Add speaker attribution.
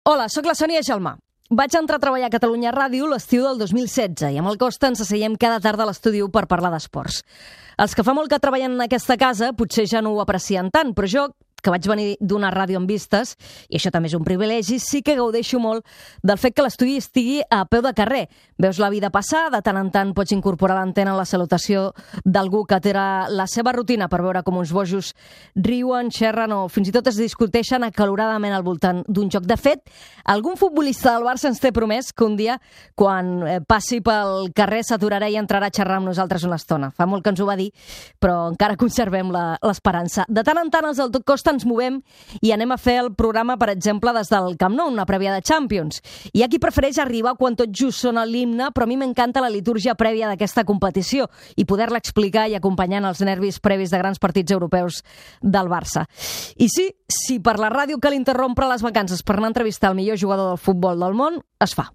Speaker 1: Hola, sóc la Sònia Gelmà. Vaig entrar a treballar a Catalunya Ràdio l'estiu del 2016 i amb el Costa ens asseiem cada tarda a l'estudi per parlar d'esports. Els que fa molt que treballen en aquesta casa potser ja no ho aprecien tant, però jo, que vaig venir d'una ràdio amb vistes, i això també és un privilegi, sí que gaudeixo molt del fet que l'estudi estigui a peu de carrer. Veus la vida passar, de tant en tant pots incorporar l'antena a la salutació d'algú que té la seva rutina per veure com uns bojos riuen, xerren o fins i tot es discuteixen acaloradament al voltant d'un joc. De fet, algun futbolista del Barça ens té promès que un dia, quan passi pel carrer, s'aturarà i entrarà a xerrar amb nosaltres una estona. Fa molt que ens ho va dir, però encara conservem l'esperança. De tant en tant els del Tot Costa ens movem i anem a fer el programa, per exemple, des del Camp Nou, una prèvia de Champions. Hi ha qui prefereix arribar quan tot just sona l'himne, però a mi m'encanta la litúrgia prèvia d'aquesta competició i poder-la explicar i acompanyar els nervis previs de grans partits europeus del Barça. I sí, si per la ràdio cal interrompre les vacances per anar a entrevistar el millor jugador del futbol del món, es fa.